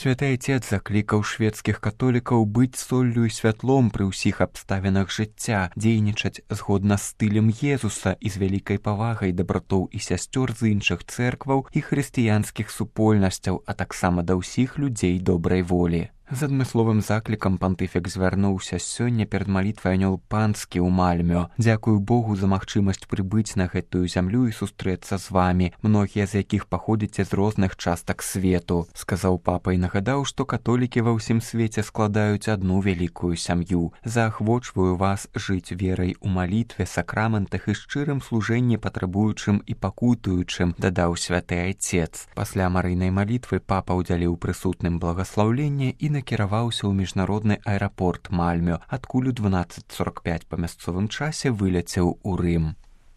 Святы Айцец заклікаў шведскіх католікаў быць соллю і святлом пры ўсіх абставінах жыцця, дзейнічаць згодна з стылем Езуса і з вялікай павагай да братоў і сясцёр з іншых цэркваў і хрысціянскіх супольнасцяў, а таксама да ўсіх людзей добрай волі. З адмысловым заклікам пантыфік звярнуўся сёння перад малітвай анёл панскі ў Мальмё. Дзякую Богу за магчымасць прыбыць на гэтую зямлю і сустрэцца з вамі, многія з якіх паходзіце з розных частак свету, сказаў папа і нагадаў, што католікі ва ўсім свеце складаюць адну вялікую сям'ю. Заахвочваю вас жыць верай у малітве, сакраментах і шчырым служэнні патрабуючым і пакутуючым, дадаў святы Айцец. Пасля марыйнай малітвы папа ўдзяліў прысутным благаслаўленне і накіраваўся ў міжнародны аэрапорт Мальмё, адкуль у 12:45 па мясцовым часе выляцеў у Рым.